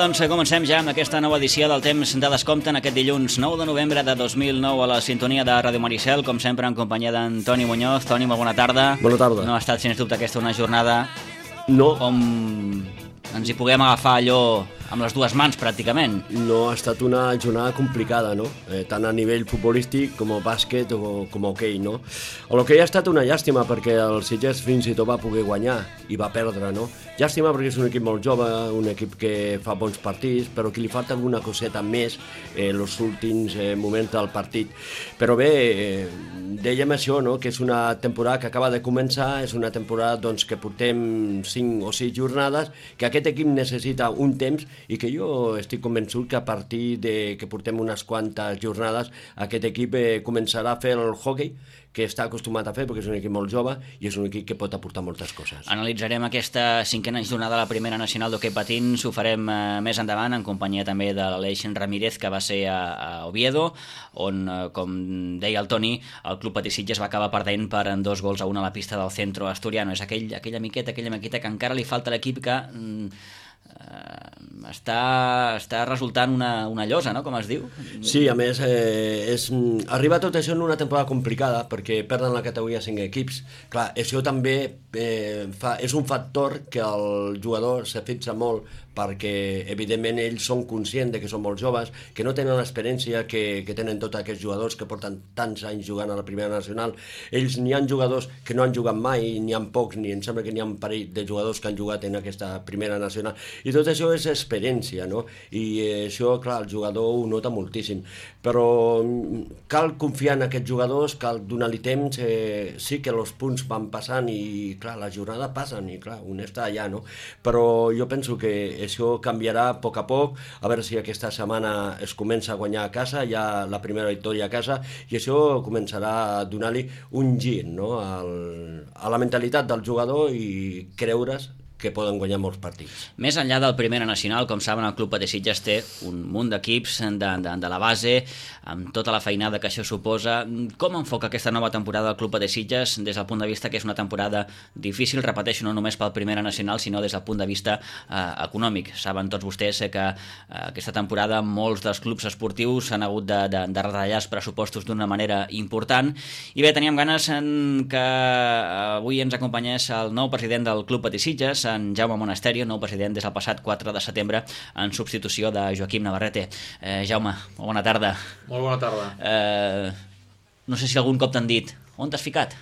doncs comencem ja amb aquesta nova edició del Temps de Descompte en aquest dilluns 9 de novembre de 2009 a la sintonia de Ràdio Maricel, com sempre en companyia d'en Toni Muñoz. Toni, molt bona tarda. Bona tarda. No ha estat, sens dubte, aquesta una jornada No, on ens hi puguem agafar allò amb les dues mans, pràcticament. no ha estat una jornada complicada, no? Tant a nivell futbolístic com a bàsquet o com a hoquei, no? L'hoquei ha estat una llàstima perquè el Sitges fins i tot va poder guanyar i va perdre, no? Llàstima perquè és un equip molt jove, un equip que fa bons partits, però que li falta alguna coseta més en els últims moments del partit. Però bé, dèiem això, no? Que és una temporada que acaba de començar, és una temporada doncs, que portem 5 o 6 jornades, que aquest equip necessita un temps i que jo estic convençut que a partir de que portem unes quantes jornades aquest equip començarà a fer el hockey que està acostumat a fer perquè és un equip molt jove i és un equip que pot aportar moltes coses. Analitzarem aquesta cinquena jornada de la primera nacional d'hoquei patins, ho farem més endavant en companyia també de l'Aleix Ramírez, que va ser a Oviedo, on, com deia el Toni, el Club Patí Sitges va acabar perdent per 2-1 a la pista del Centro Asturiano. És aquella miqueta que encara li falta a l'equip que està resultant una llosa, no?, com es diu. Sí, a més, arriba tot això en una temporada complicada perquè perden la categoria 5 equips. Clar, això també és un factor que el jugador se fixa molt perquè, evidentment, ells són conscients de que són molt joves, que no tenen l'experiència que tenen tots aquests jugadors que porten tants anys jugant a la primera nacional. Ells n'hi ha jugadors que no han jugat mai, n'hi ha pocs, ni em sembla que n'hi ha un parell de jugadors que han jugat en aquesta primera nacional. I tot això és experiència, no? I això, clar, el jugador ho nota moltíssim. Però cal confiar en aquests jugadors, cal donar-li temps. Sí que els punts van passant i, clar, la jornada passen i, clar, un està allà, no? Però jo penso que això canviarà a poc, a veure si aquesta setmana es comença a guanyar a casa, ja la primera victòria a casa, i això començarà a donar-li un gir, no?, a la mentalitat del jugador i creure's que poden guanyar molts partits. Més enllà del Primera Nacional, com saben, el Club Patí Sitges té un munt d'equips de la base, amb tota la feinada que això suposa. Com enfoca aquesta nova temporada del Club Patí Sitges des del punt de vista que és una temporada difícil, repeteixo, no només pel Primera Nacional, sinó des del punt de vista econòmic? Saben tots vostès que aquesta temporada molts dels clubs esportius han hagut de retallar els pressupostos d'una manera important. I bé, teníem ganes que avui ens acompanyés el nou president del Club Patí Sitges, en Jaume Monasterio, nou president des del passat 4 de setembre en substitució de Joaquim Navarrete. Jaume, molt bona tarda. Molt bona tarda. No sé si algun cop t'han dit on t'has ficat?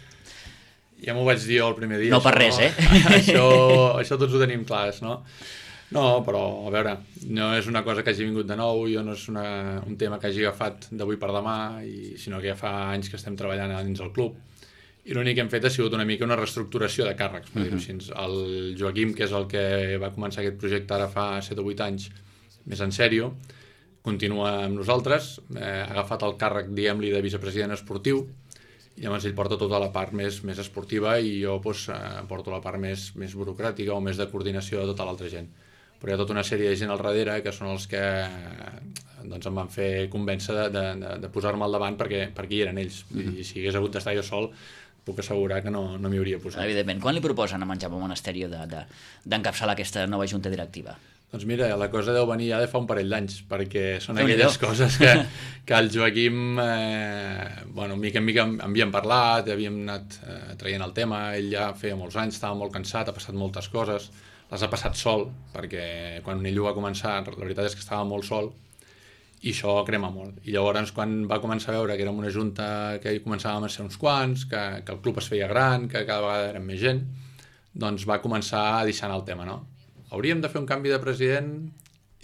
Ja m'ho vaig dir jo el primer dia. No per res, eh? Això tots ho tenim clars, no? No, però, a veure, no és una cosa que hagi vingut de nou, no és un tema que hagi agafat d'avui per demà, sinó que ja fa anys que estem treballant dins del club. I l'únic que hem fet ha sigut una mica una reestructuració de càrrecs, per dir-ho així. El Joaquim, que és el que va començar aquest projecte ara fa 7 o 8 anys, més en sèrio, continua amb nosaltres, ha agafat el càrrec, diguem-li, de vicepresident esportiu, i llavors ell porta tota la part més esportiva i jo porto la part més burocràtica o més de coordinació de tota l'altra gent. Però hi ha tota una sèrie de gent al darrere que són els que em van fer convèncer de posar-me al davant perquè hi eren ells. I si hagués hagut d'estar jo sol, puc assegurar que no m'hi hauria posat. Evidentment. Quan li proposen a en Jaume Monasterio d'encapçalar aquesta nova junta directiva? Doncs mira, la cosa deu venir ja de fa un parell d'anys, perquè són aquelles coses que el Joaquim, mica en mica havíem parlat, havíem anat traient el tema, ell ja feia molts anys, estava molt cansat, ha passat moltes coses, les ha passat sol, perquè quan ell ho va començar, la veritat és que estava molt sol, i això crema molt. I llavors, quan va començar a veure que érem una junta que hi començàvem a ser uns quants, que el club es feia gran, que cada vegada érem més gent, doncs va començar a deixar el tema, no? Hauríem de fer un canvi de president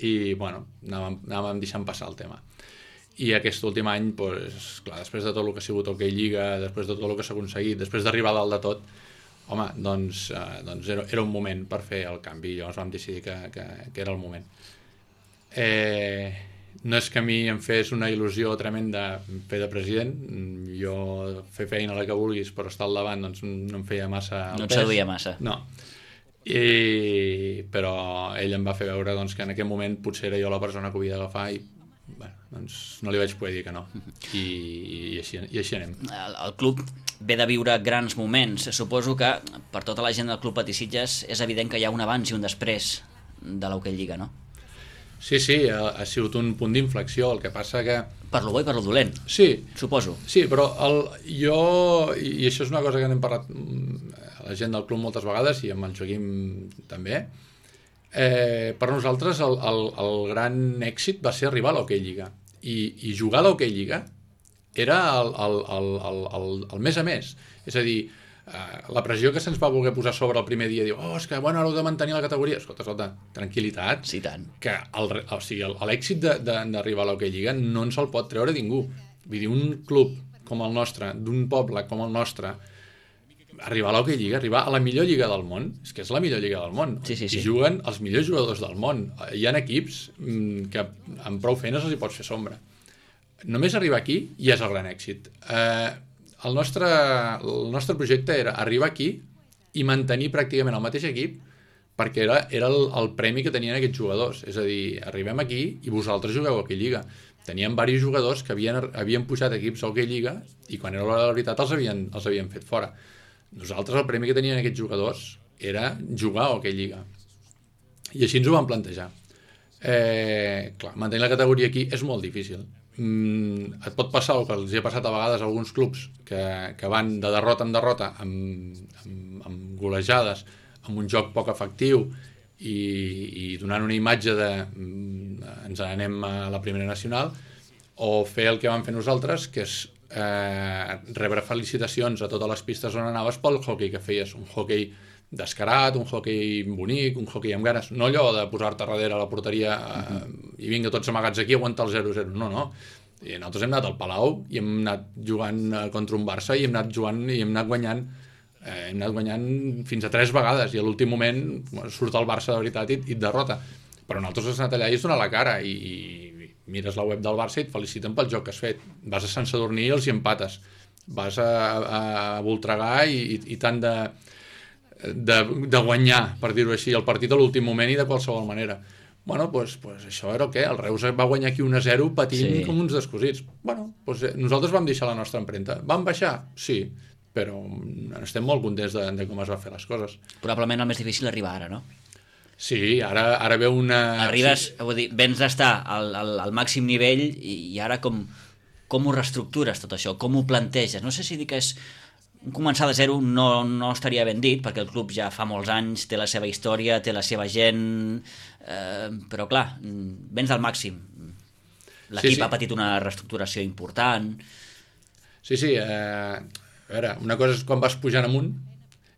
i, anàvem deixant passar el tema. I aquest últim any, doncs, clar, després de tot el que ha sigut Hockey Lliga, després de tot el que s'ha aconseguit, després d'arribar a dalt de tot, home, doncs era un moment per fer el canvi i llavors vam decidir que era el moment. No és que a mi em fes una il·lusió tremenda fer de president, jo fer feina la que vulguis però estar al davant doncs no em feia massa el pes. No et seduïa massa. No. Però ell em va fer veure doncs, que en aquell moment potser era jo la persona que ho havia d'agafar i doncs no li vaig poder dir que no. I així anem. El club ve de viure grans moments. Suposo que per tota la gent del Club Patí Sitges és evident que hi ha un abans i un després de l'Hockey Lliga, no? Sí, ha sigut un punt d'inflexió, el que passa que... Per lo bo i per lo dolent, sí, suposo. Sí, però jo, i això és una cosa que n'hem parlat a la gent del club moltes vegades, i amb el Joaquim també, per nosaltres el gran èxit va ser arribar a l'Hockey Lliga. I jugar a l'Hockey Lliga era el mes a mes. És a dir, la pressió que se'ns va voler posar sobre el primer dia, diu, és que bueno, ara heu de mantenir la categoria. Escolta, tranquil·litat, sí, tant. Que l'èxit d'arribar a l'Hockey Lliga no ens el pot treure ningú. Vull dir, un club com el nostre, d'un poble com el nostre, arribar a l'Hockey Lliga, arribar a la millor lliga del món, és que és la millor lliga del món, sí. I juguen els millors jugadors del món. Hi ha equips que amb prou feines els hi pots fer sombra. Només arribar aquí ja és el gran èxit. El nostre projecte era arribar aquí i mantenir pràcticament el mateix equip, perquè era el premi que tenien aquests jugadors. És a dir, arribem aquí i vosaltres jugueu a Hockey Lliga. Teníem diversos jugadors que havien pujat equips a Hockey Lliga i quan era l'hora de la veritat els havien fet fora. Nosaltres el premi que tenien aquests jugadors era jugar a Hockey Lliga. I així ens ho vam plantejar. Clar, mantenir la categoria aquí és molt difícil. Et pot passar el que els hi ha passat a vegades a alguns clubs que van de derrota en derrota amb golejades, amb un joc poc efectiu i donant una imatge de ens anem a la primera nacional, o fer el que vam fer nosaltres, que és rebre felicitacions a totes les pistes on anaves pel hoquei que feies, un hoquei descarat, un hoquei bonic, un hoquei amb ganes, no allò de posar-te darrere a la porteria i vinga tots amagats aquí a aguantar el 0-0, no. I nosaltres hem anat al Palau i hem anat jugant contra un Barça i hem anat jugant i hem anat guanyant fins a 3 vegades i a l'últim moment surt el Barça de veritat i et derrota, però nosaltres has anat allà i has donat la cara i mires la web del Barça i et feliciten pel joc que has fet, vas a Sant Sadurní i els hi empates, vas a Voltregà i tant de guanyar, per dir-ho així, el partit a l'últim moment i de qualsevol manera. Bueno, doncs això era el què? El Reus va guanyar aquí 1-0 patint com uns descosits. Bueno, nosaltres vam deixar la nostra empremta. Vam baixar? Sí, però estem molt contents de com es va fer les coses. Probablement el més difícil arribar ara, no? Sí, ara veu una... Arribes, vull dir, vens d'estar al màxim nivell i ara com ho reestructures tot això? Com ho planteges? No sé si dir que és... Començar de zero no estaria ben dit, perquè el club ja fa molts anys, té la seva història, té la seva gent, però clar, vens del màxim. L'equip ha patit una reestructuració important. Sí, a veure, una cosa és quan vas pujant amunt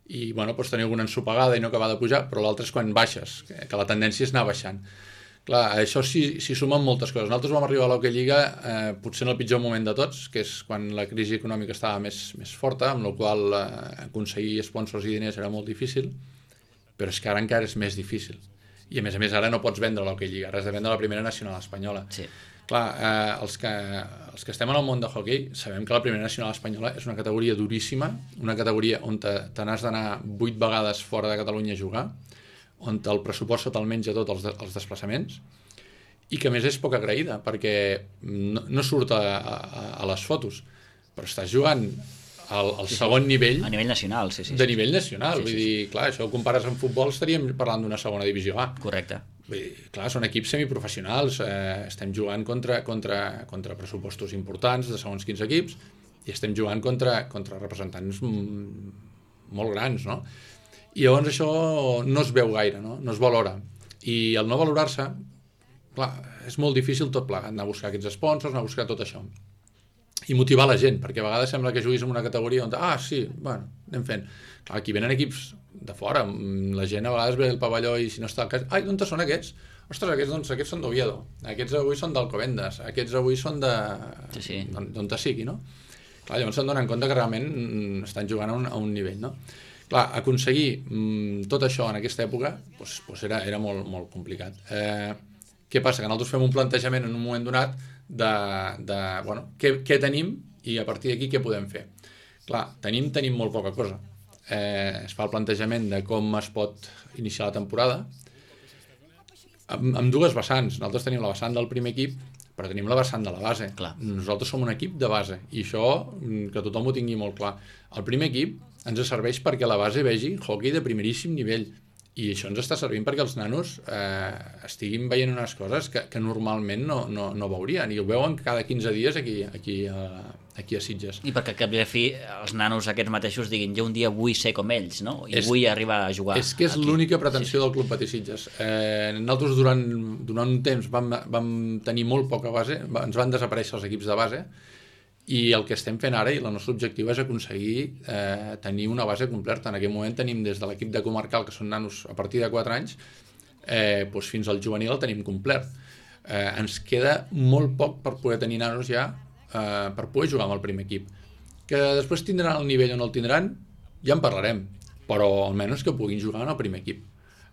i bueno, pots tenir alguna ensopegada i no acabar de pujar, però l'altra és quan baixes, que la tendència és anar baixant. Clar, això s'hi sumen moltes coses. Nosaltres vam arribar a l'Hockey Lliga potser en el pitjor moment de tots, que és quan la crisi econòmica estava més forta, amb la qual aconseguir sponsors i diners era molt difícil, però és que ara encara és més difícil. I a més ara no pots vendre l'Hockey Lliga, ara has de vendre la primera nacional espanyola. Sí. Clar, els que estem en el món de hockey sabem que la primera nacional espanyola és una categoria duríssima, una categoria on te n'has d'anar 8 vegades fora de Catalunya a jugar, on el pressupost te'l menja tot els desplaçaments i que a més és poc agraïda perquè no surt a les fotos, però estàs jugant al segon nivell a nivell nacional, sí. De nivell nacional, vull dir, clar, això ho compares amb futbol, estaríem parlant d'una segona divisió A. Correcte. Vull dir, clar, són equips semiprofessionals, estem jugant contra pressupostos importants de segons quins equips i estem jugant contra representants molt grans, no? I llavors això no es veu gaire, no es valora. I el no valorar-se, clar, és molt difícil tot plegat, anar a buscar aquests sponsors, anar a buscar tot això. I motivar la gent, perquè a vegades sembla que juguis en una categoria on, sí, bueno, anem fent. Clar, aquí venen equips de fora, la gent a vegades ve al pavelló i si no està al cas, d'on són aquests? Ostres, aquests són d'Oviedo, aquests avui són d'Alcobendas, aquests avui són de... Sí. D'on te sigui, no? Clar, llavors se'n donen compte que realment estan jugant a un nivell, no? Clar, aconseguir tot això en aquesta època era molt, molt complicat. Què passa? Que nosaltres fem un plantejament en un moment donat de bueno, què tenim i a partir d'aquí què podem fer. Clar, tenim molt poca cosa. Es fa el plantejament de com es pot iniciar la temporada amb dues vessants. Nosaltres tenim la vessant del primer equip, però tenim la vessant de la base. Clar. Nosaltres som un equip de base i això que tothom ho tingui molt clar. El primer equip ens serveix perquè la base vegi hoquei de primeríssim nivell I això ens està servint perquè els nanos estiguin veient unes coses que normalment no veurien, i ho veuen cada 15 dies aquí a Sitges. I perquè al cap i a la fi els nanos aquests mateixos diguin jo un dia vull ser com ells, no? I vull arribar a jugar. És que és l'única pretensió del Club Patí Sitges. Nosaltres durant un temps vam tenir molt poca base, ens van desaparèixer els equips de base, i el que estem fent ara, i el nostre objectiu és aconseguir tenir una base completa. En aquest moment tenim des de l'equip de comarcal, que són nanos a partir de 4 anys, doncs fins al juvenil el tenim complet. Ens queda molt poc per poder tenir nanos ja, per poder jugar amb el primer equip. Que després tindran el nivell o no el tindran, ja en parlarem, però almenys que puguin jugar en el primer equip.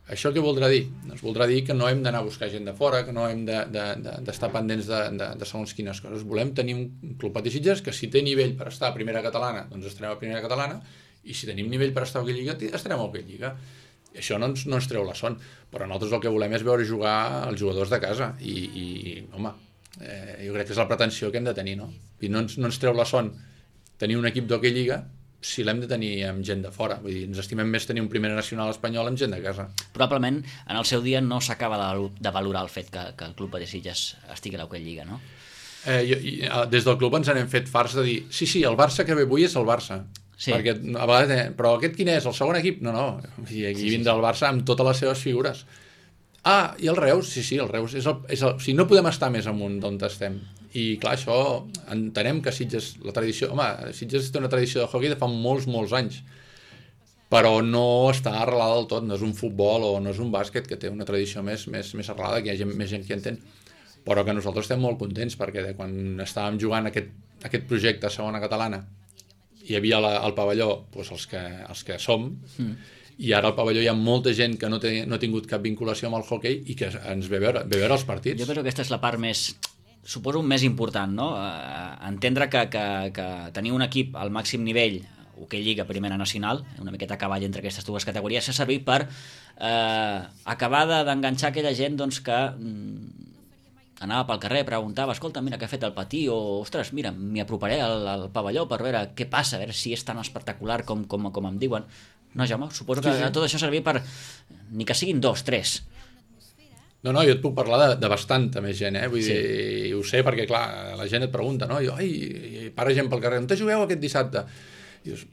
Això què voldrà dir? Doncs voldrà dir que no hem d'anar a buscar gent de fora, que no hem d'estar pendents de segons quines coses. Volem tenir un Club Patí Sitges que si té nivell per estar a primera catalana, doncs estarem a primera catalana, i si tenim nivell per estar a Hockey Lliga, estarem a Hockey Lliga. I això no ens treu la son, però nosaltres el que volem és veure jugar els jugadors de casa, i home, jo crec que és la pretensió que hem de tenir, no? I no ens treu la son tenir un equip d'Hockey Lliga si l'hem de tenir amb gent de fora. Vull dir, ens estimem més tenir un primera nacional espanyol amb gent de casa. Probablement, en el seu dia no s'acaba de valorar el fet que el Club Patí Sitges estigui a l'Hockey Lliga, no? Des del club ens n'hem fet farts de dir sí, el Barça que ve avui és el Barça. Sí. Perquè a vegades, però aquest quin és? El segon equip? No. I aquí vindrà el Barça amb totes les seves figures. I el Reus? Sí, el Reus és el... Si no podem estar més amunt d'on estem. I clar, això entenem que Sitges, la tradició... Home, Sitges té una tradició de hockey de fa molts anys, però no està arrelada del tot, no és un futbol o no és un bàsquet que té una tradició més arrelada, que hi ha més gent que entén, però que nosaltres estem molt contents perquè quan estàvem jugant aquest projecte a segona catalana hi havia al pavelló doncs els que som, i ara al pavelló hi ha molta gent que no ha tingut cap vinculació amb el hockey i que ens ve veure els partits. Jo penso que aquesta és la part suposo més important, no? Entendre que tenir un equip al màxim nivell, Hockey Lliga, primera nacional, una miqueta a cavall entre aquestes dues categories, s'ha servit per acabar d'enganxar aquella gent doncs, que anava pel carrer, preguntava, escolta, mira què ha fet el Patí, o ostres, mira, m'hi aproparé al pavelló per veure què passa, a veure si és tan espectacular com em diuen. No, Jaume, suposo que tot això ha servit per ni que siguin 2, 3. No, jo et puc parlar de bastanta més gent, vull dir, ho sé perquè, clar, la gent et pregunta, no? I para gent pel carrer, on te jugueu aquest dissabte? I dius,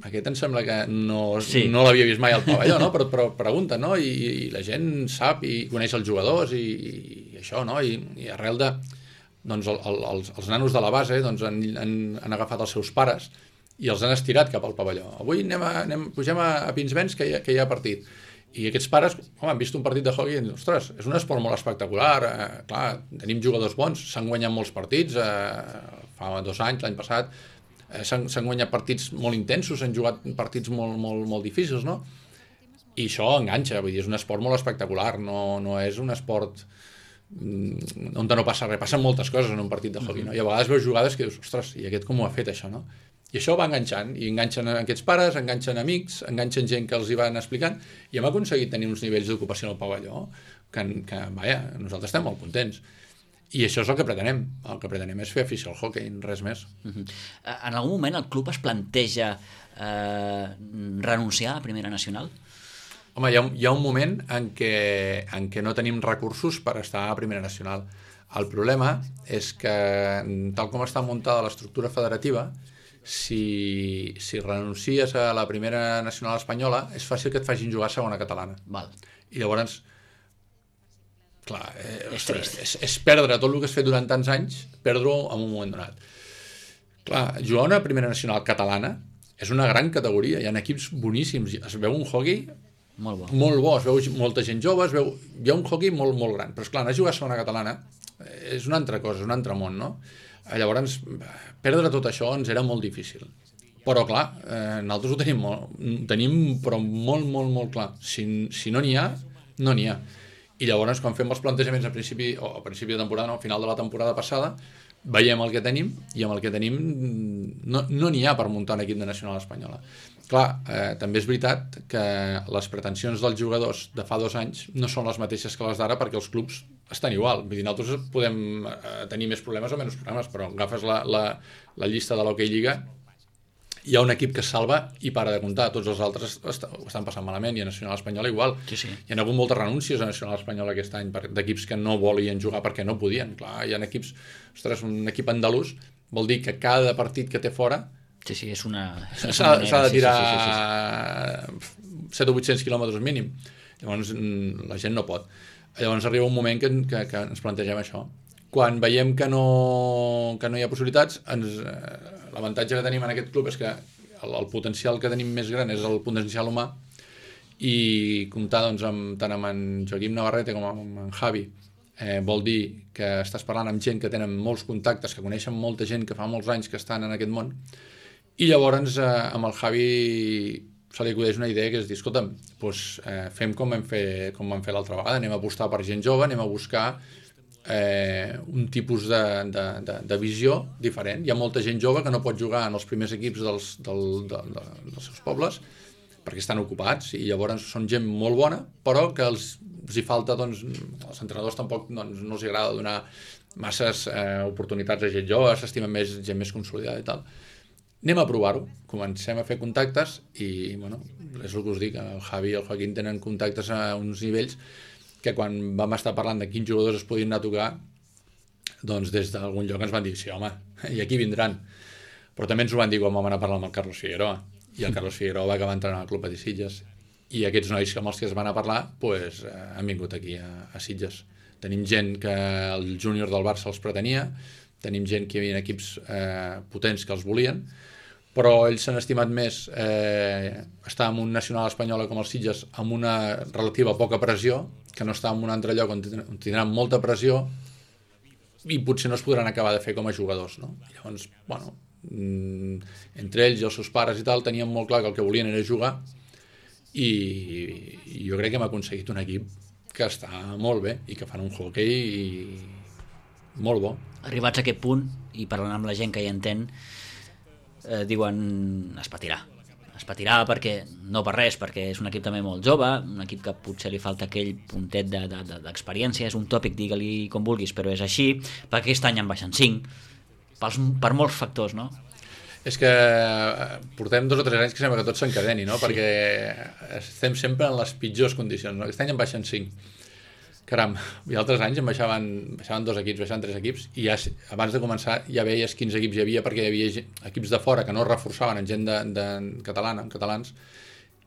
aquest em sembla que no l'havia vist mai al pavelló, no? Però pregunta, no? I la gent sap i coneix els jugadors i això, no? I arrel de... Doncs els nanos de la base han agafat els seus pares i els han estirat cap al pavelló. Avui pugem a Pinsbens que hi ha partit. I aquests pares, han vist un partit de hockey i diuen, ostres, és un esport molt espectacular, clar, tenim jugadors bons, s'han guanyat molts partits, fa 2 anys, l'any passat, s'han guanyat partits molt intensos, s'han jugat partits molt difícils, no? I això enganxa, vull dir, és un esport molt espectacular, no és un esport on no passa res, passen moltes coses en un partit de hockey, no? I a vegades veus jugades que dius, ostres, i aquest com ho ha fet, això, no? I això va enganxant, i enganxen aquests pares, enganxen amics, enganxen gent que els hi van explicant, i hem aconseguit tenir uns nivells d'ocupació al pavelló que nosaltres estem molt contents. I això és el que pretenem. El que pretenem és fer afició al hockey, res més. En algun moment el club es planteja renunciar a Primera Nacional? Home, hi ha un moment en què no tenim recursos per estar a Primera Nacional. El problema és que, tal com està muntada l'estructura federativa, si renuncies a la Primera Nacional espanyola, és fàcil que et facin jugar a segona catalana. Val. I llavors, clar, és perdre tot el que has fet durant tants anys, perdre-ho en un moment donat. Clar, jugar a una Primera Nacional catalana és una gran categoria, hi ha equips boníssims, es veu un hockey molt bo, es veu molta gent jove, hi ha un hockey molt gran, però esclar, anar a jugar a segona catalana és una altra cosa, és un altre món, no? Llavors, perdre tot això ens era molt difícil. Però, clar, nosaltres ho tenim però molt clar. Si no n'hi ha, no n'hi ha. I llavors, quan fem els plantejaments a principi de temporada, al final de la temporada passada, veiem el que tenim i amb el que tenim no n'hi ha per muntar un equip de nacional espanyola. Clar, també és veritat que les pretensions dels jugadors de fa 2 anys no són les mateixes que les d'ara perquè els clubs estan igual. Vull dir, nosaltres podem tenir més problemes o menys problemes, però agafes la llista de l'Hockey Lliga hi ha un equip que es salva i para de comptar, tots els altres ho estan passant malament, i a Nacional Espanyola igual. Sí. Hi ha hagut moltes renúncies a Nacional Espanyola aquest any d'equips que no volien jugar perquè no podien. Clar, hi ha equips, ostres, un equip andalús vol dir que cada partit que té fora és una s'ha de tirar 700 o 800 quilòmetres mínim. Llavors la gent no pot. Llavors arriba un moment que ens plantegem això. Quan veiem que no hi ha possibilitats, l'avantatge que tenim en aquest club és que el potencial que tenim més gran és el potencial humà, i comptar doncs, tant amb en Joaquim Navarrete com amb en Javi vol dir que estàs parlant amb gent que tenen molts contactes, que coneixen molta gent que fa molts anys que estan en aquest món, i llavors amb el Javi se li acudeix una idea que és dir, escolta'm, doncs, fem com vam fer l'altra vegada, anem a apostar per gent jove, anem a buscar un tipus de visió diferent. Hi ha molta gent jove que no pot jugar en els primers equips dels seus pobles perquè estan ocupats, i llavors són gent molt bona, però que els hi falta, doncs, als entrenadors tampoc no els agrada donar masses oportunitats a gent jove, s'estimen més gent més consolidada i tal. Anem a provar-ho, comencem a fer contactes, i bueno, és el que us dic, el Javi i el Joaquín tenen contactes a uns nivells que quan vam estar parlant de quins jugadors es podien anar a tocar, doncs des d'algun lloc ens van dir, sí, home, i aquí vindran. Però també ens ho van dir quan vam anar a parlar amb el Carlos Figueroa, i el Carlos Figueroa va acabar entrant al Club de Sitges, i aquests nois amb els que es van a parlar pues, han vingut aquí a Sitges. Tenim gent que el júnior del Barça els pretenia, tenim gent que hi havia equips potents que els volien, però ells s'han estimat més estar en un nacional espanyola com el Sitges amb una relativa poca pressió, que no estar en un altre lloc on tindran molta pressió i potser no es podran acabar de fer com a jugadors, no? Llavors, bueno, entre ells i els seus pares i tal tenien molt clar que el que volien era jugar, i jo crec que hem aconseguit un equip que està molt bé i que fan un hoquei molt bo. Arribats a aquest punt, i parlant amb la gent que hi entén, diuen es patirà perquè no per res, perquè és un equip també molt jove, un equip que potser li falta aquell puntet d'experiència, és un tòpic, digue-li com vulguis, però és així, perquè aquest any en baixen 5 per molts factors, no? És que portem 2 o 3 anys que sembla que tot s'encadeni, no? Sí. Perquè estem sempre en les pitjors condicions, no? Aquest any en baixen 5. Caram, i altres anys en baixaven 2 equips, baixaven 3 equips, i ja, abans de començar ja veies quins equips hi havia, perquè hi havia equips de fora que no es reforçaven en gent catalana, en catalans,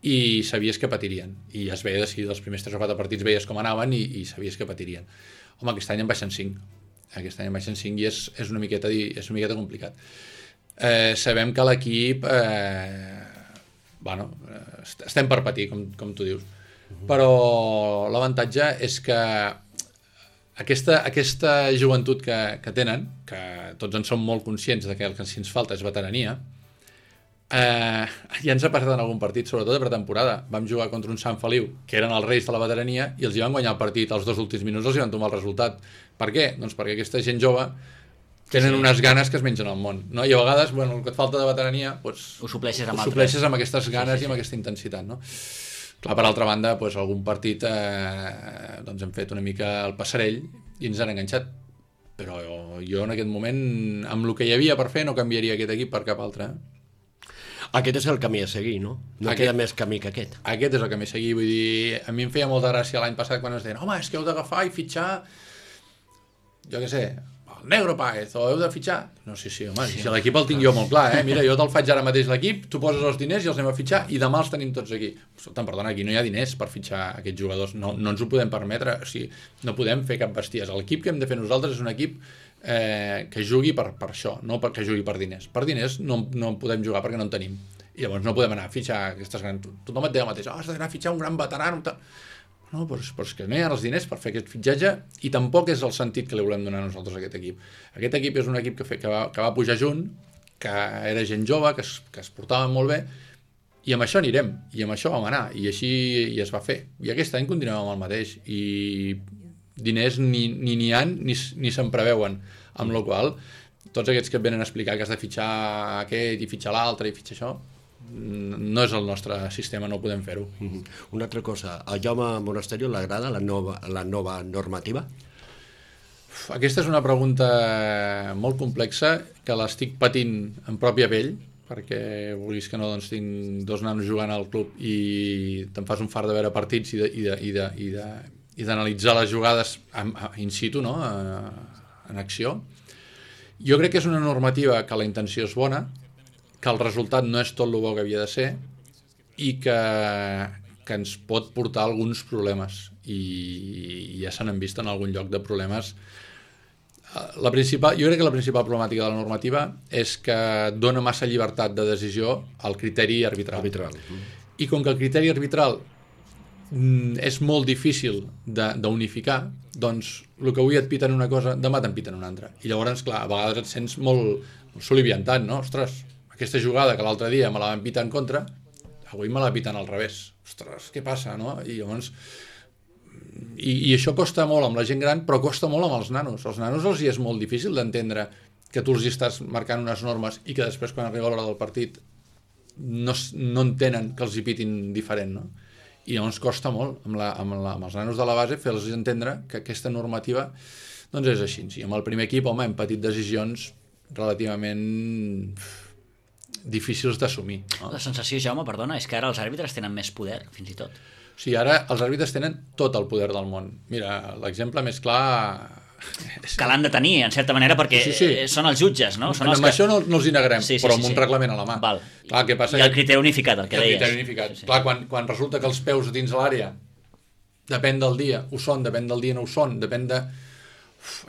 i sabies que patirien. I ja es veia si dels primers 3 o 4 partits veies com anaven i sabies que patirien. Home, aquest any en baixen 5. Aquest any en baixen 5 i és una miqueta complicat. Sabem que l'equip estem per patir, com tu dius, però l'avantatge és que aquesta joventut que tenen, que tots en som molt conscients de que el que ens falta és veterania, ja ens ha passat en algun partit, sobretot de pretemporada. Vam jugar contra un Sant Feliu, que eren els reis de la veterania, i els hi van guanyar el partit als 2 últims minuts, els hi van tomar el resultat. Per què? Doncs perquè aquesta gent jove tenen unes ganes que es mengen al món, no? I a vegades, bueno, el que et falta de veterania, doncs, ho supleixes amb aquestes ganes i amb aquesta intensitat, no? Clar, per altra banda, doncs, algun partit doncs hem fet una mica el passarell i ens han enganxat, però jo en aquest moment, amb el que hi havia per fer, no canviaria aquest equip per cap altre. Aquest és el camí a seguir, no? No queda més camí que aquest. Aquest és el camí a seguir, vull dir, a mi em feia molta gràcia l'any passat quan ens deien, home, és que heu d'agafar i fitxar, jo què sé, el Negro Páez, o heu de fitxar. No, sí, home, si l'equip el tinc jo molt clar, mira, jo te'l faig ara mateix l'equip, tu poses els diners i els anem a fitxar i demà els tenim tots aquí. Perdona, aquí no hi ha diners per fitxar aquests jugadors, no ens ho podem permetre, o sigui, no podem fer cap bestiesa. L'equip que hem de fer nosaltres és un equip que jugui per això, no perquè jugui per diners. Per diners no podem jugar perquè no en tenim. I llavors no podem anar a fitxar aquestes grans... Tothom et deia el mateix, has d'anar a fitxar un gran veterà, no, però és que no hi ha els diners per fer aquest fitxatge, i tampoc és el sentit que li volem donar a nosaltres a aquest equip. Aquest equip és un equip que va pujar junt, que era gent jove, que es portava molt bé, i amb això anirem, i amb això vam anar, i així es va fer. I aquest any continuem amb el mateix, i diners ni n'hi ha ni se'n preveuen, amb la qual tots aquests que et venen a explicar que has de fitxar aquest i fitxar l'altre i fitxar això, no és el nostre sistema, no podem fer-ho. Una altra cosa, a Jaume Monasterio l'agrada la nova normativa? Aquesta és una pregunta molt complexa que l'estic patint en pròpia pell, perquè vulguis que no, doncs tinc 2 nanos jugant al club i te'n fas un fart de veure partits i d'analitzar les jugades in situ, no? En acció. Jo crec que és una normativa que la intenció és bona, que el resultat no és tot el bo que havia de ser i que ens pot portar alguns problemes i ja se n'han vist en algun lloc de problemes. Jo crec que la principal problemàtica de la normativa és que dona massa llibertat de decisió al criteri arbitral. I com que el criteri arbitral és molt difícil d'unificar, doncs el que avui et piten una cosa, demà te'n piten una altra. I llavors, clar, a vegades et sents molt soliviantat, no? Ostres, aquesta jugada que l'altre dia me la van pitar en contra, avui me la piten al revés. Ostres, què passa, no? I llavors... I això costa molt amb la gent gran, però costa molt amb els nanos. Els nanos els hi és molt difícil d'entendre que tu els hi estàs marcant unes normes i que després, quan arriba l'hora del partit, no entenen que els hi pitin diferent, no? I llavors costa molt amb els nanos de la base fer-los entendre que aquesta normativa doncs és així. I amb el primer equip, home, hem patit decisions relativament difícils d'assumir, no? La sensació, Jaume, perdona, és que ara els àrbitres tenen més poder, fins i tot. O sigui, ara els àrbitres tenen tot el poder del món. Mira, l'exemple més clar... Que l'han de tenir, en certa manera, perquè són els jutges, no? Són amb això no els hi negarem, però amb un reglament a la mà. Val. Clar, què passa? I el criteri unificat, el que deies. El criteri unificat. Clar, quan resulta que els peus dins l'àrea, depèn del dia, ho són, depèn del dia no ho són, depèn de...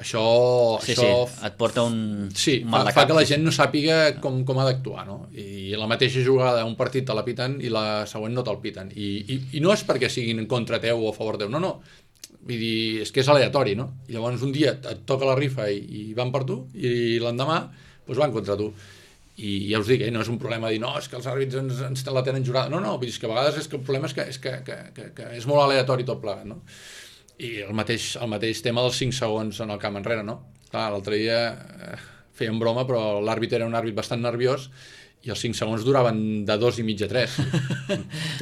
Això et porta un mal de cap. Fa que la gent no sàpiga com ha d'actuar, no? I la mateixa jugada, un partit te la piten i la següent no te'l piten. I no és perquè siguin en contra teu o a favor teu, no. Vull dir, és que és aleatori, no? I llavors un dia et toca la rifa i van per tu, i l'endemà doncs van contra tu. I ja us dic, no és un problema dir, no, és que els àrbits ens la tenen jurada. No, vull dir, és que a vegades el problema és que és molt aleatori tot plegat, no? I el mateix tema dels 5 segons en el camp enrere, no? Clar, l'altre dia feien broma, però l'àrbit era un àrbit bastant nerviós i els 5 segons duraven de 2 i mig a 3.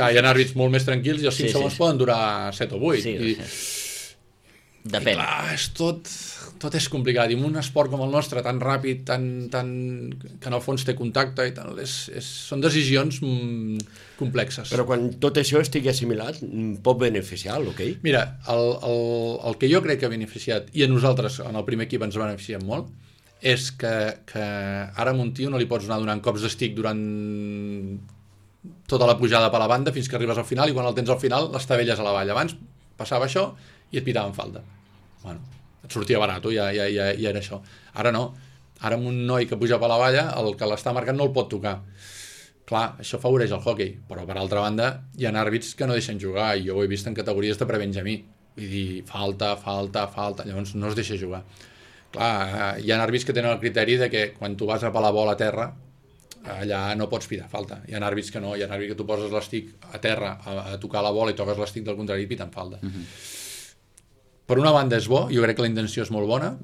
Clar, hi ha àrbits molt més tranquils i els 5 segons poden durar 7 o 8. Depèn. I clar, tot és complicat. I en un esport com el nostre, tan ràpid, que en el fons té contacte i tal, són decisions complexes. Però quan tot això estigui assimilat, pot beneficiar l'hoquei? Mira, el que jo crec que ha beneficiat, i a nosaltres en el primer equip ens beneficiem molt, és que ara a un tio no li pots anar donant cops d'estic durant tota la pujada per la banda fins que arribes al final, i quan el tens al final l'estabelles a la valla. Abans passava això i et pitaven falta. Bueno, et sortia barat, ja era això. Ara no. Ara amb un noi que puja per la valla, el que l'està marcant no el pot tocar. Clar, això afavoreix el hoquei, però per altra banda hi ha àrbits que no deixen jugar, i jo ho he vist en categories de prebenjamí. Vull dir, falta, llavors no es deixa jugar. Clar, hi ha àrbits que tenen el criteri de que quan tu vas a pelar bola a terra, allà no pots pitar falta. Hi ha àrbits que no, hi ha àrbits que tu poses l'estic a terra a tocar la bola i toques l'estic del contrari i piten falta. Per una banda és bo, jo crec que la intenció és molt bona,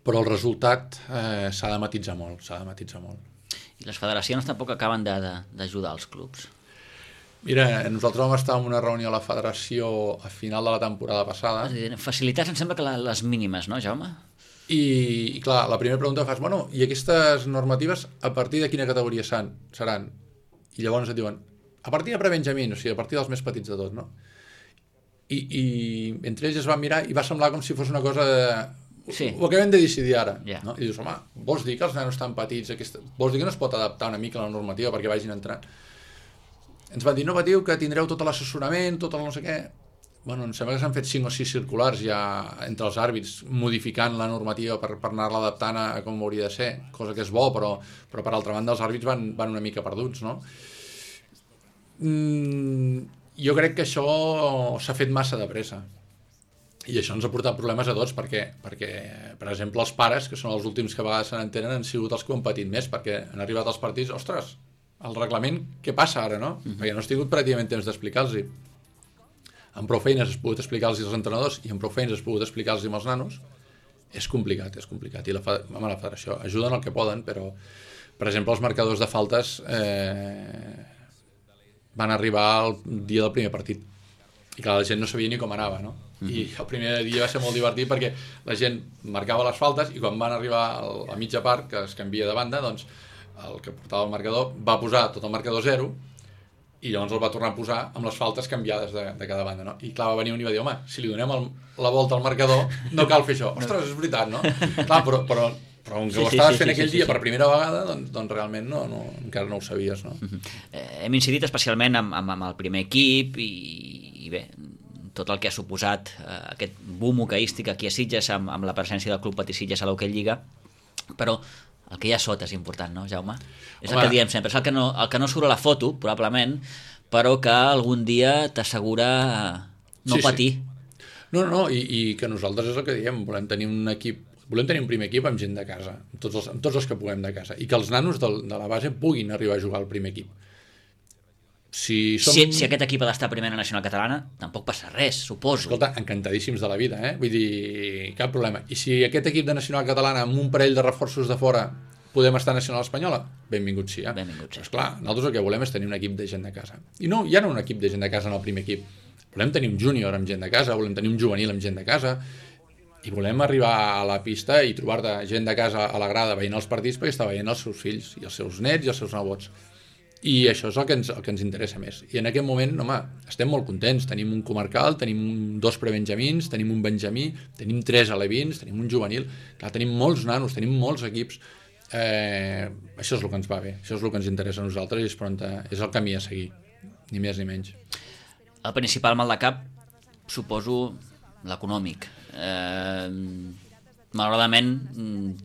però el resultat s'ha de matitzar molt, I les federacions tampoc acaben d'ajudar els clubs. Mira, nosaltres vam estar en una reunió a la federació a final de la temporada passada. Facilitats em sembla que les mínimes, no, Jaume? I clar, la primera pregunta que fas, bueno, i aquestes normatives a partir de quina categoria seran? I llavors et diuen, a partir de prebenjamí, o sigui, a partir dels més petits de tot, no? I entre ells es van mirar i va semblar com si fos una cosa de... Sí. Ho acabem de decidir ara. No? I dius, home, vols dir que els nanos tan petits, vols dir que no es pot adaptar una mica a la normativa perquè vagin entrant? Ens van dir, no patiu, que tindreu tot l'assessorament, tot el no sé què. Bueno, em sembla que s'han fet 5 o 6 circulars ja entre els àrbits, modificant la normativa per anar-la adaptant a com hauria de ser, cosa que és bo, però per altra banda els àrbits van una mica perduts, no? Jo crec que això s'ha fet massa de pressa. I això ens ha portat problemes a tots, perquè per exemple, els pares, que són els últims que a vegades se n'entenen, han sigut els que ho han patit més, perquè han arribat als partits, ostres, el reglament, què passa ara, no? Perquè no has tingut pràcticament temps d'explicar-los-hi. Amb prou feines has pogut explicar-los als entrenadors i amb prou feines has pogut explicar-los als nanos. És complicat. I la federació ajuden el que poden, però, per exemple, els marcadors de faltes van arribar el dia del primer partit. I clar, la gent no sabia ni com anava, no? I el primer dia va ser molt divertit perquè la gent marcava les faltes i quan van arribar a mitja part, que es canvia de banda, doncs el que portava el marcador, va posar tot el marcador 0 i llavors el va tornar a posar amb les faltes canviades de cada banda, no? I clar, va venir un i va dir, home, si li donem la volta al marcador, no cal fer això. Ostres, és veritat, no? Clar, però com que ho estaves fent aquell dia per primera vegada, doncs realment encara no ho sabies, no? Hem incidit especialment amb el primer equip i bé, tot el que ha suposat aquest boom hoqueístic aquí a Sitges amb la presència del Club Patí Sitges a l'Hoquei Lliga, però el que hi ha sota és important, no, Jaume? És el que diem sempre, és el que no surt a la foto, probablement, però que algun dia t'assegura no patir. No, i que nosaltres és el que diem, volem tenir un primer equip amb gent de casa, amb tots els que puguem de casa, i que els nanos de la base puguin arribar a jugar al primer equip. Si aquest equip ha d'estar a primera nacional catalana, tampoc passa res, suposo. Escolta, encantadíssims de la vida, Vull dir, cap problema. I si aquest equip de nacional catalana amb un parell de reforços de fora podem estar a nacional espanyola, benvingut sí, Benvingut, sí. Però esclar, nosaltres el que volem és tenir un equip de gent de casa. I no, ja no un equip de gent de casa en el primer equip. Volem tenir un júnior amb gent de casa, volem tenir un juvenil amb gent de casa, i volem arribar a la pista i trobar-te gent de casa a la grada veient els partits perquè està veient els seus fills i els seus nets i els seus nebots. I això és el que ens interessa més. I en aquest moment, home, estem molt contents. Tenim un comarcal, tenim 2 prebenjamins, tenim un benjamí, tenim 3 alevins, tenim un juvenil. Clar, tenim molts nanos, tenim molts equips. Això és el que ens va bé, això és el que ens interessa a nosaltres i és el camí a seguir, ni més ni menys. El principal mal de cap, suposo, l'econòmic. Malauradament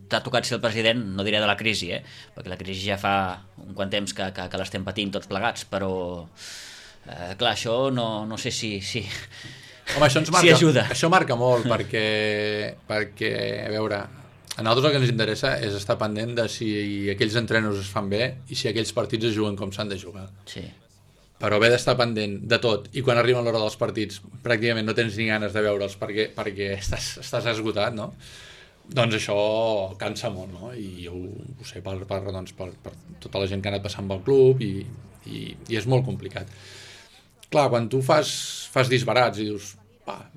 t'ha tocat ser el president, no diré de la crisi, perquè la crisi ja fa un quant temps que l'estem patint tots plegats, però clar, això no sé si home, això si ajuda. Això marca molt perquè a veure, a nosaltres el que ens interessa és estar pendent de si aquells entrenos es fan bé i si aquells partits es juguen com s'han de jugar. Sí. Però haver d'estar pendent de tot i quan arriba l'hora dels partits pràcticament no tens ni ganes de veure'ls perquè estàs esgotat, no? Doncs això cansa molt, no? I jo ho sé per tota la gent que ha anat passant pel club i és molt complicat. Clar, quan tu fas disbarats i dius,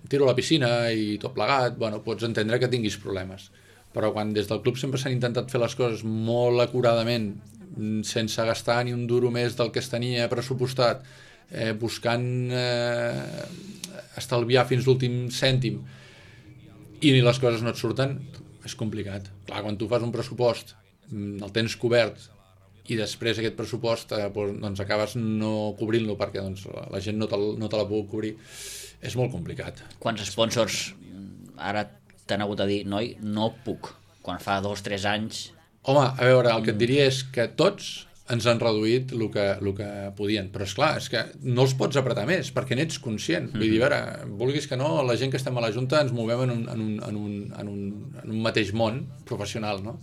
tiro a la piscina i tot plegat, bueno, pots entendre que tinguis problemes. Però quan des del club sempre s'han intentat fer les coses molt acuradament, sense gastar ni un duro més del que es tenia pressupostat, buscant estalviar fins l'últim cèntim, i les coses no et surten, és complicat. Clar, quan tu fas un pressupost, el tens cobert i després aquest pressupost doncs acabes no cobrint-lo perquè doncs, la gent no te la pugui cobrir, és molt complicat. Quants sponsors ara t'han hagut de dir, noi, no puc, quan fa 2 o 3 anys... Home, a veure, el que et diria és que tots ens han reduït el que podien, però esclar, és que no els pots apretar més perquè n'ets conscient. Vull dir, a veure, vulguis que no, la gent que estem a la Junta ens movem en un mateix món professional, no?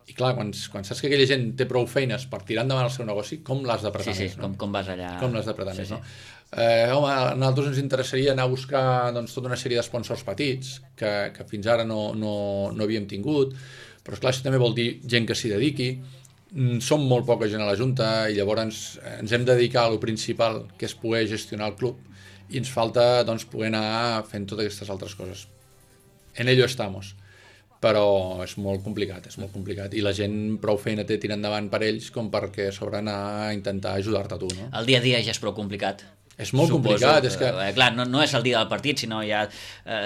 I clar, quan saps que aquella gent té prou feines per tirar endavant el seu negoci, com l'has d'apretar més, no? Com vas allà... Com l'has d'apretar més, no? Home, a nosaltres ens interessaria anar a buscar doncs, tota una sèrie d'esponsors petits que fins ara no havíem tingut, però esclar, això també vol dir gent que s'hi dediqui. Som molt poca gent a la Junta i llavors ens hem de dedicar a lo principal, que és poder gestionar el club, i ens falta doncs, poder anar fent totes aquestes altres coses. En ello estamos, però és molt complicat, i la gent prou feina té tirant endavant per ells com perquè a sobre anar a intentar ajudar-te a tu, no? El dia a dia ja és prou complicat. És molt complicat, és que... Clar, no és el dia del partit, sinó hi ha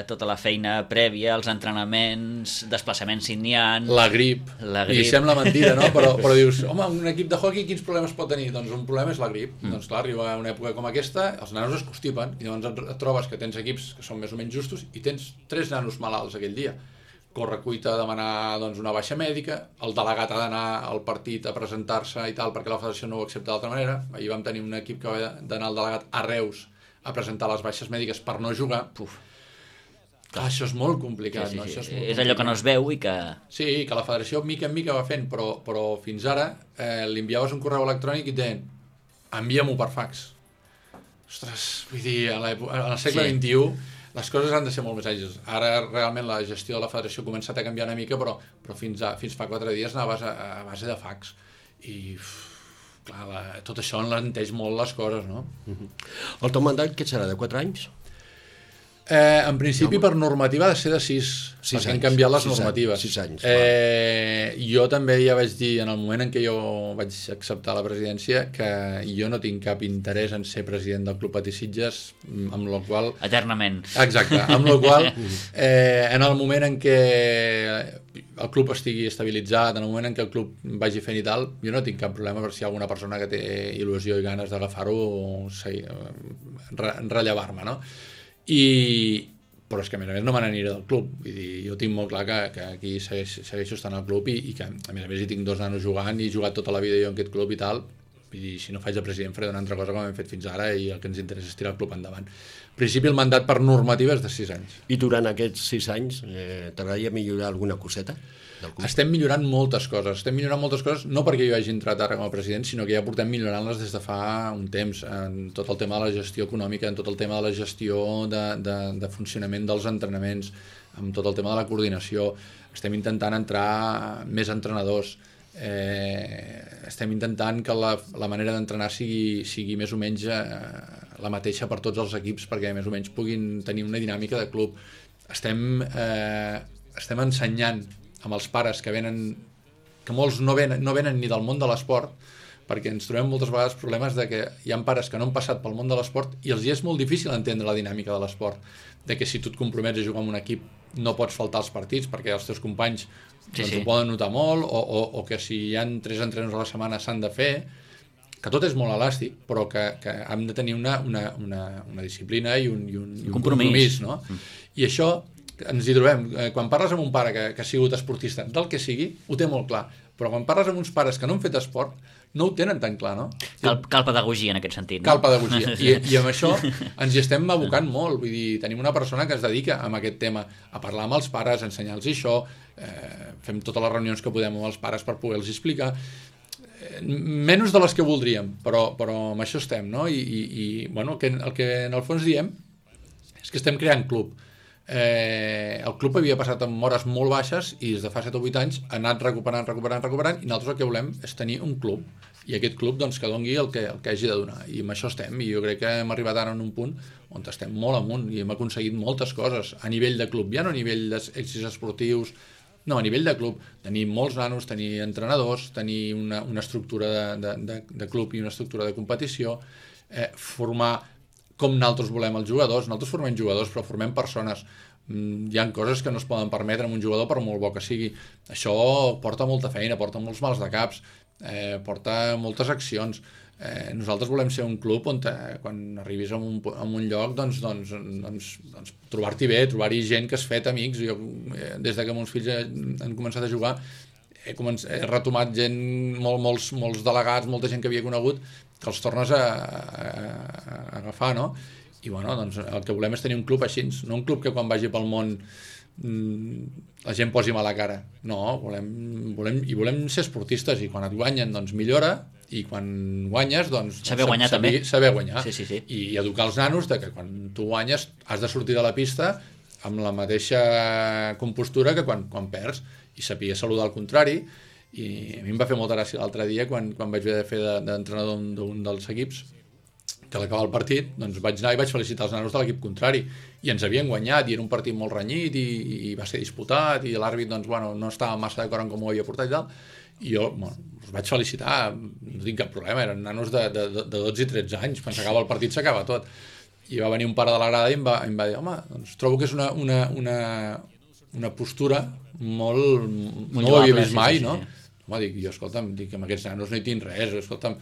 tota la feina prèvia, els entrenaments, desplaçaments si n'hi ha... La grip. I sembla mentida, no? Però dius, home, un equip de hockey quins problemes pot tenir? Doncs un problema és la grip. Doncs clar, arriba una època com aquesta, els nanos es constipen, i llavors et trobes que tens equips que són més o menys justos i tens 3 nanos malalts aquell dia. Corre cuita a demanar doncs, una baixa mèdica, el delegat ha d'anar al partit a presentar-se i tal, perquè la federació no ho accepta d'altra manera. Ahir vam tenir un equip que va d'anar al delegat a Reus a presentar les baixes mèdiques per no jugar. Clar, això és molt complicat. Sí. No? Això és allò que no es veu i que... Sí, que la federació mica en mica va fent, però fins ara li enviaves un correu electrònic i et deien, envia-m'ho per fax. Ostres, vull dir, al segle XXI... les coses han de ser molt més àgils. Ara realment la gestió de la federació ha començat a canviar una mica, però fins fa 4 dies anaves a base de fax. I clar, tot això enlenteix molt les coses, no? El teu mandat què serà, de 4 anys? En principi, per normativa ha de ser de 6, perquè han canviat les normatives. 6 anys. Jo també ja vaig dir, en el moment en què jo vaig acceptar la presidència, que jo no tinc cap interès en ser president del Club Patí Sitges, amb la qual... Eternament. Exacte, amb la qual, en el moment en què el club estigui estabilitzat, en el moment en què el club vagi fent i tal, jo no tinc cap problema per si hi ha alguna persona que té il·lusió i ganes d'agafar-ho o rellevar-me, no? Però és que a més no me n'aniré del club, vull dir, jo tinc molt clar que aquí segueixo estant al club i que a més hi tinc 2 nanos jugant i he jugat tota la vida jo en aquest club i tal, vull dir, si no faig de president faré una altra cosa com hem fet fins ara i el que ens interessa és tirar el club endavant. En principi el mandat per normativa és de 6 anys. I durant aquests 6 anys t'agradaria millorar alguna coseta del club? Estem millorant moltes coses, no perquè jo hagi entrat ara com a president, sinó que ja portem millorant-les des de fa un temps, en tot el tema de la gestió econòmica, en tot el tema de la gestió de funcionament dels entrenaments, amb tot el tema de la coordinació. Estem intentant entrar més entrenadors, estem intentant que la manera d'entrenar sigui més o menys la mateixa per tots els equips, perquè més o menys puguin tenir una dinàmica de club. Estem ensenyant amb els pares que venen, que molts no venen ni del món de l'esport, perquè ens trobem moltes vegades problemes de que hi ha pares que no han passat pel món de l'esport i els és molt difícil entendre la dinàmica de l'esport, de que si tu et compromets a jugar en un equip no pots faltar als partits perquè els teus companys ho poden notar molt, o que si hi ha 3 entrenaments a la setmana s'han de fer, que tot és molt elàstic, però que hem de tenir una disciplina i un compromís, no? I això ens hi trobem. Quan parles amb un pare que ha sigut esportista, del que sigui, ho té molt clar, però quan parles amb uns pares que no han fet esport, no ho tenen tan clar, no? Cal pedagogia en aquest sentit, no? Cal pedagogia, i amb això ens hi estem abocant molt, vull dir, tenim una persona que es dedica a aquest tema, a parlar amb els pares, a ensenyar-los això, fem totes les reunions que podem amb els pares per poder-los explicar, menys de les que voldríem, però amb això estem, no? I bueno, el que en el fons diem és que estem creant club. El club havia passat amb hores molt baixes i des de fa 7 o 8 anys ha anat recuperant i nosaltres el que volem és tenir un club i aquest club doncs, que doni el que hagi de donar, i amb això estem, i jo crec que hem arribat ara en un punt on estem molt amunt i hem aconseguit moltes coses a nivell de club, ja no a nivell d'èxits esportius, no, a nivell de club, tenir molts nanos, tenir entrenadors, tenir una estructura de club i una estructura de competició, formar com nosaltres volem els jugadors. Nosaltres formem jugadors, però formem persones. Hi ha coses que no es poden permetre amb un jugador per molt bo que sigui. Això porta molta feina, porta molts mals de caps, porta moltes accions. Nosaltres volem ser un club on quan arribis a un lloc doncs trobar-t'hi bé, trobar-hi gent que has fet amics. Jo, des que meus fills han començat a jugar, he retomat gent, molts delegats, molta gent que havia conegut, que els tornes a agafar, no? I bueno, doncs el que volem és tenir un club així, no un club que quan vagi pel món la gent posi mala cara. No, volem ser esportistes, i quan et guanyen doncs millora, i quan guanyes doncs saber guanyar també. Saber guanyar. Sí. I educar els nanos de que quan tu guanyes has de sortir de la pista amb la mateixa compostura que quan perds, i saber saludar al contrari. I a mi em va fer molta gràcia l'altre dia quan vaig haver de fer d'entrenador d'un dels equips, que a l'acabar el partit doncs vaig anar i vaig felicitar els nanos de l'equip contrari, i ens havien guanyat i era un partit molt renyit i va ser disputat, i l'àrbit doncs, bueno, no estava massa d'acord en com ho havia portat i tal, i jo els vaig felicitar, no tinc cap problema, eren nanos de 12 i 13 anys, quan s'acaba el partit s'acaba tot, i va venir un pare de la grada i em va dir, home, doncs trobo que és una postura molt no ho havia vist mai, no? Home, dic, jo, escolta'm, amb aquests nanos no hi tinc res, escolta'm,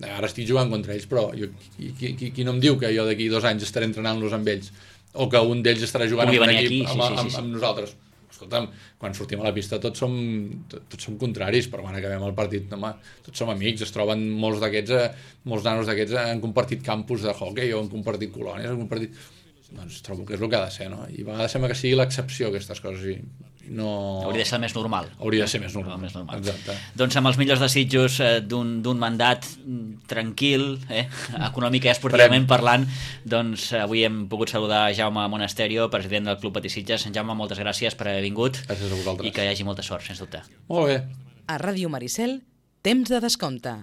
ara estic jugant contra ells, però qui no em diu que jo d'aquí 2 anys estaré entrenant-los amb ells, o que un d'ells estarà jugant amb un equip amb nosaltres? Escolta'm, quan sortim a la pista tots som contraris, però quan acabem el partit, home, tots som amics, es troben molts nanos d'aquests han compartit campus de hockey, o han compartit colònies, han compartit... Doncs trobo que és el que ha de ser, no? I a vegades sembla que sigui l'excepció, aquestes coses, i no... Hauria de ser més normal. Hauria de ser més normal. Exacte. Doncs amb els millors desitjos d'un mandat tranquil, econòmic i esportivament parlant, doncs avui hem pogut saludar Jaume Monasterio, president del Club Patí Sitges. Jaume, moltes gràcies per haver vingut. Gràcies a vosaltres. I que hi hagi molta sort, sens dubte. Molt bé. A Ràdio Maricel, temps de descompte.